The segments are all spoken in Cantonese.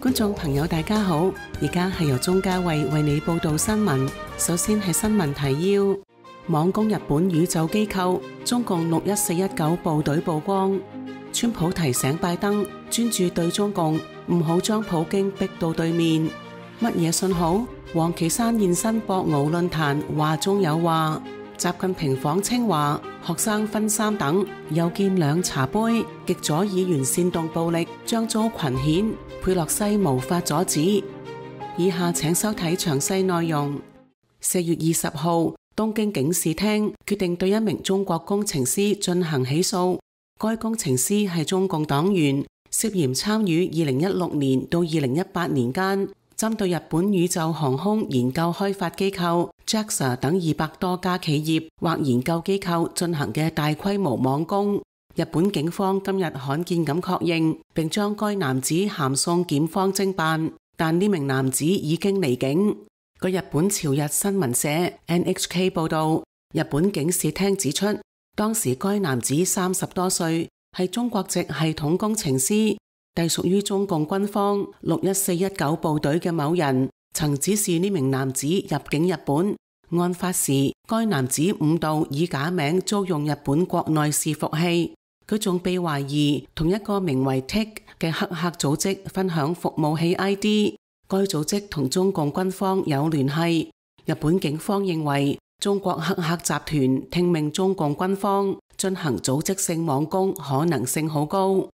觀眾朋友大家好，而家係由鍾嘉慧為你報道新聞。首先係新聞提要：網攻日本宇宙機構，中共61419部隊曝光。川普提醒拜登專注對中共，唔好將普京逼到對面。乜嘢信號？王岐山現身博鰲論壇，話中有話。習近平訪清華，學生分3等，又見2茶杯。極左議員煽動暴力，將遭群譴，佩洛西無法阻止。以下請收睇詳細內容。4月20號，東京警視廳決定對一名中國工程師進行起訴。該工程師係中共黨員，涉嫌參與2016年到2018年間，針對日本宇宙航空研究開發機構 JAXA 等200多家企業或研究機構進行嘅大規模網攻。日本警方今日罕見咁確認，並將該男子函送檢方偵辦，但呢名男子已經離境。據日本朝日新聞社 NHK 報道，日本警視廳指出，當時該男子30多歲，係中國籍系統工程師，隸屬於中共軍方61419部隊嘅某人，曾指示呢名男子入境日本。案發時，該男子誤導以假名租用日本國內伺服器，佢仲被懷疑同一個名為 TIC 嘅黑客組織分享服務器 ID， 該組織同中共軍方有聯繫。日本警方認為，中國黑客集團聽命中共軍方進行組織性網攻可能性好高。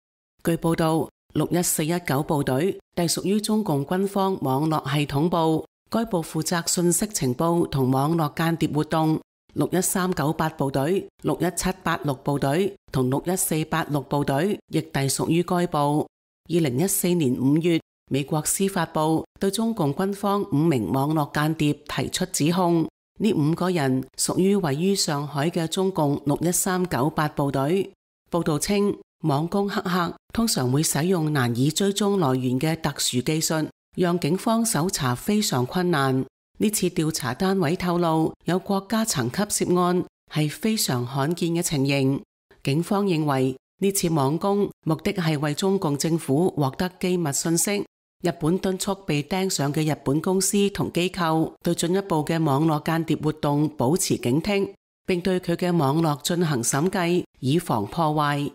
據報道，61419部隊隸屬於中共軍方網絡系統部，該部負責信息情報同網絡間諜活動。61398部隊、61786部隊同61486部隊亦隸屬於該部。2014年5月，美國司法部對中共軍方5名網絡間諜提出指控，呢5個人屬於位於上海嘅中共61398部隊。報道稱，網攻黑客通常會使用難以追蹤來源嘅特殊技術，讓警方搜查非常困難。呢次調查單位透露，有國家層級涉案係非常罕見嘅情形。警方認為呢次網攻目的係為中共政府獲得機密信息。日本敦促被盯上嘅日本公司同機構對進一步嘅網絡間諜活動保持警惕，並對佢嘅網絡進行審計，以防破壞。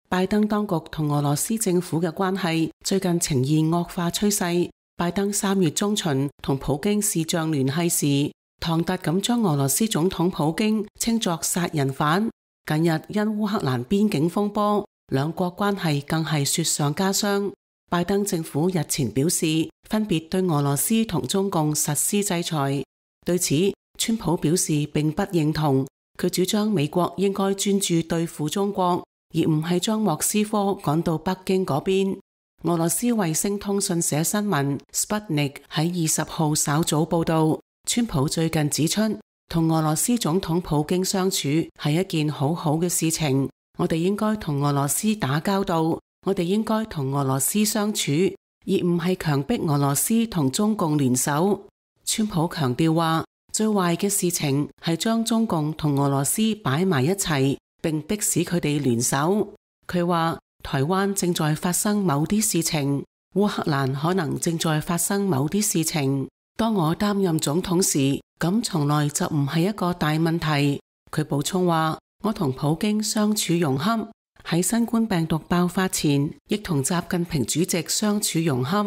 拜登當局同俄羅斯政府嘅關係最近呈現惡化趨勢。拜登3月中旬同普京視像聯繫時，唐突咁將俄羅斯總統普京稱作殺人犯。近日因烏克蘭邊境風波，兩國關係更係雪上加霜。拜登政府日前表示，分別對俄羅斯同中共實施制裁。對此，川普表示並不認同，佢主張美國應該專注對付中國，而唔係將莫斯科趕到北京嗰邊。俄羅斯衛星通訊社新聞 Sputnik 喺20號稍早報道，川普最近指出，同俄羅斯總統普京相處係一件好好嘅事情，我哋應該同俄羅斯打交道，我哋應該同俄羅斯相處，而唔係強迫俄羅斯同中共聯手。川普強調話，最壞嘅事情係將中共同俄羅斯擺埋一齊，並迫使佢哋聯手。佢話，台灣正在發生某啲事情，烏克蘭可能正在發生某啲事情。當我擔任總統時，咁從來就唔係一個大問題。佢補充話，我同普京相處融洽，喺新冠病毒爆發前，亦同習近平主席相處融洽。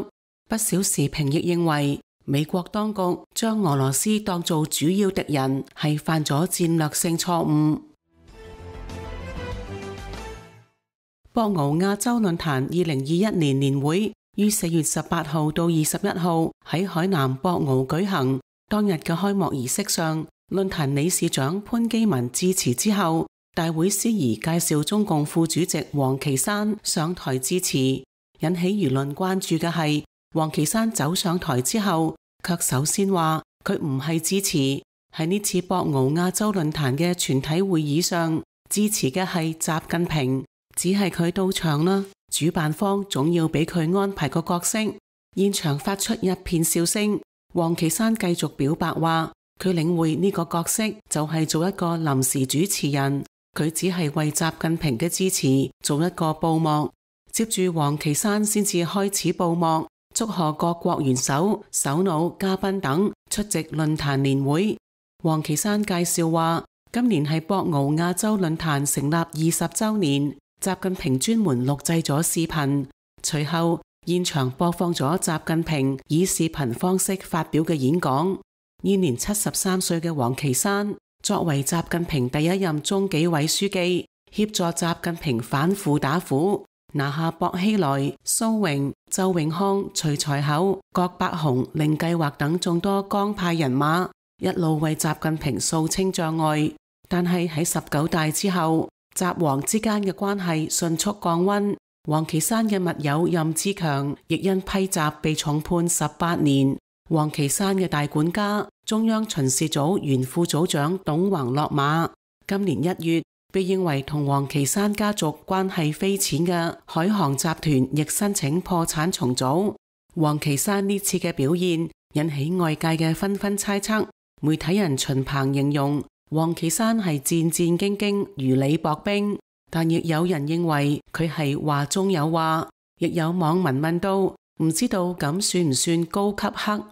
不少時評亦認為，美國當局將俄羅斯當做主要敵人，係犯咗戰略性錯誤。博鰲亞洲論壇2021年年會於4月18號到21號喺海南博鰲舉行。當日嘅開幕儀式上，論壇理事長潘基文致辭之後，大會司儀介紹中共副主席王岐山上台致辭。引起輿論關注嘅係，王岐山走上台之後，卻首先話佢唔係致辭，喺呢次博鰲亞洲論壇嘅全體會議上，致辭嘅係習近平。只係佢到場啦，主辦方總要俾佢安排個角色。現場發出一片笑聲。王岐山繼續表白話，佢領會呢個角色就係做一個臨時主持人，佢只係為習近平嘅支持做一個布幕。接住王岐山先至開始報幕，祝賀各國元首、首腦、嘉賓等出席論壇年會。王岐山介紹話，今年係博鰲亞洲論壇成立20週年，習近平專門錄製咗視頻，隨後現場播放咗習近平以視頻方式發表嘅演講。現年73歲嘅王岐山，作為習近平第一任中紀委書記，協助習近平反腐打虎，拿下薄熙來、蘇榮、周永康、徐才厚、郭伯雄、令計劃等眾多江派人馬，一路為習近平掃清障礙。但係喺19大之後，習王之間嘅關係迅速降溫。王岐山嘅密友任志強亦因批習被重判18年。王岐山嘅大管家、中央巡視組原副組長董宏落馬。今年1月，被認為同王岐山家族關係匪淺嘅海航集團亦申請破產重組。王岐山呢次嘅表現引起外界嘅紛紛猜測。媒體人秦鵬形容王岐山係戰戰兢兢、如履薄冰，但亦有人認為佢係話中有話。亦有網民問到，唔知道咁算唔算高級黑？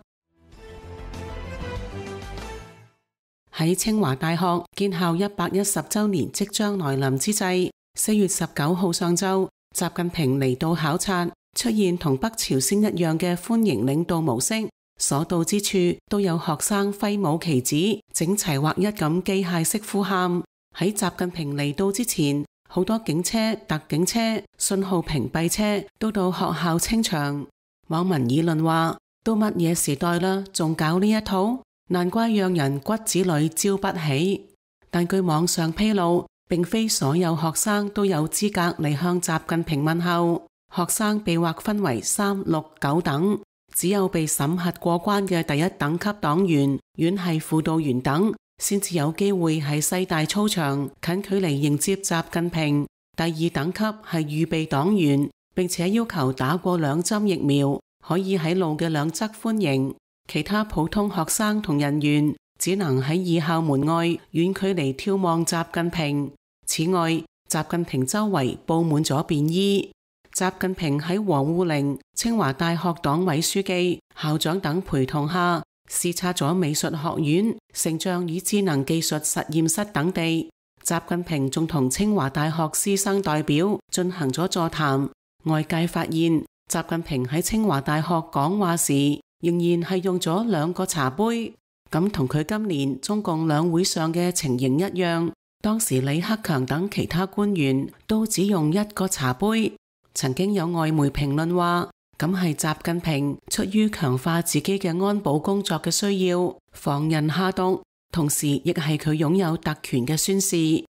喺清華大學建校110週年即將來臨之際，4月19號上晝，習近平嚟到考察，出現同北朝鮮一樣嘅歡迎領導模式，所到之處都有學生揮舞旗子，整齊劃一咁機械式呼喊。喺習近平嚟到之前，好多警車、特警車、信號屏蔽車都到學校清場。網民議論話：都乜嘢時代啦，仲搞呢一套？難怪讓人骨子裏招不起。但據網上披露，並非所有學生都有資格嚟向習近平問候。學生被劃分為3、6、9等，只有被審核過關嘅第一等級黨員、院系輔導員等，先至有機會喺西大操場近距離迎接習近平。第2等級係預備黨員，並且要求打過2針疫苗，可以喺路嘅兩側歡迎。其他普通學生同人員只能喺二校門外遠距離眺望習近平。此外，習近平周圍佈滿咗便衣。習近平喺王滬寧、清華大學黨委書記、校長等陪同下，視察咗美術學院、成像與智能技術實驗室等地。習近平仲同清華大學師生代表進行咗座談。外界發現，習近平喺清華大學講話時，仍然係用咗2個茶杯，咁同佢今年中共兩會上嘅情形一樣。當時李克強等其他官員都只用1個茶杯。曾經有外媒評論話，咁係習近平出於強化自己嘅安保工作嘅需要，防人下毒，同時亦係佢擁有特權嘅宣示。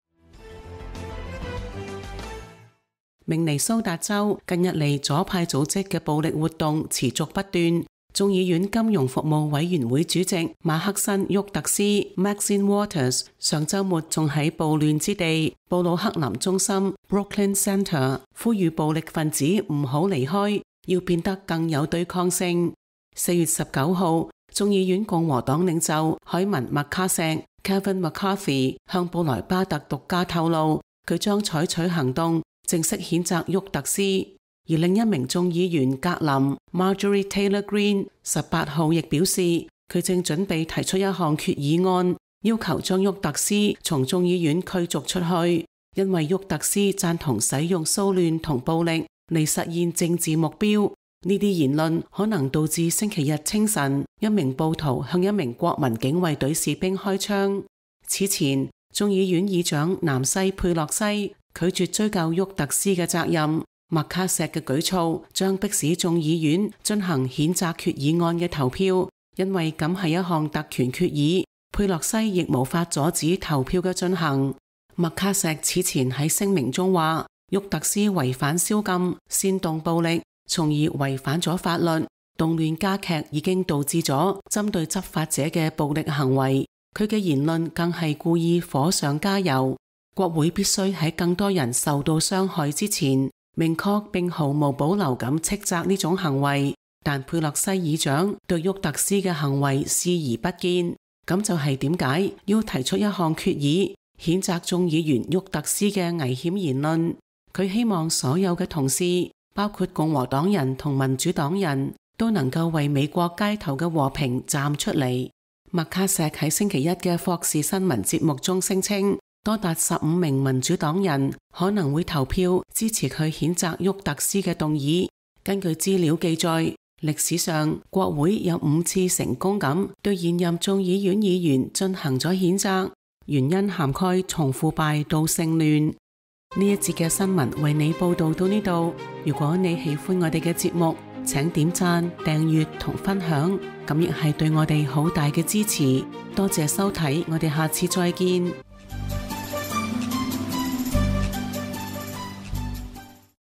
明尼蘇達州近日嚟左派組織嘅暴力活動持續不斷。眾議院金融服務委員會主席馬克森·沃特斯 Maxine Waters 上週末仲喺暴亂之地布魯克林中心 Brooklyn Center 呼籲暴力分子唔好離開，要變得更有對抗性。4月19號，眾議院共和黨領袖海文·麥卡錫 Kevin McCarthy 向布萊巴特獨家透露，佢將採取行動正式譴責沃特斯。而另一名眾議員格林 Marjorie Taylor Greene 18號亦表示，佢正準備提出一項決議案，要求將沃特斯從眾議院驅逐出去，因為沃特斯贊同使用騷亂同暴力嚟實現政治目標。呢啲言論可能導致星期日清晨一名暴徒向一名國民警衛隊士兵開槍。此前，眾議院議長南西佩洛西拒絕追究沃特斯嘅責任。麥卡錫嘅舉措將迫使眾議院進行譴責決議案嘅投票，因為咁係一項特權決議，佩洛西亦無法阻止投票嘅進行。麥卡錫此前喺聲明中話，沃特斯違反宵禁、煽動暴力，從而違反咗法律，動亂加劇已經導致咗針對執法者嘅暴力行為。佢嘅言論更係故意火上加油。國會必須喺更多人受到傷害之前，明確並毫無保留咁斥責呢種行為，但佩洛西議長對沃特斯嘅行為視而不見，咁就係點解要提出一項決議譴責眾議員沃特斯嘅危險言論。佢希望所有嘅同事包括共和黨人同民主黨人，都能夠為美國街頭嘅和平站出嚟。麥卡錫喺星期一嘅霍士新聞節目中聲稱，多達15名民主黨人可能會投票支持佢譴責沃特斯嘅動議。根據資料記載，歷史上國會有5次成功咁對現任眾議院議員進行咗譴責，原因涵蓋從腐敗到性亂。呢一節嘅新聞為你報道到呢度。如果你喜歡我哋嘅節目，請點讚、訂閱同分享，咁亦係對我哋好大嘅支持。多謝收睇，我哋下次再見。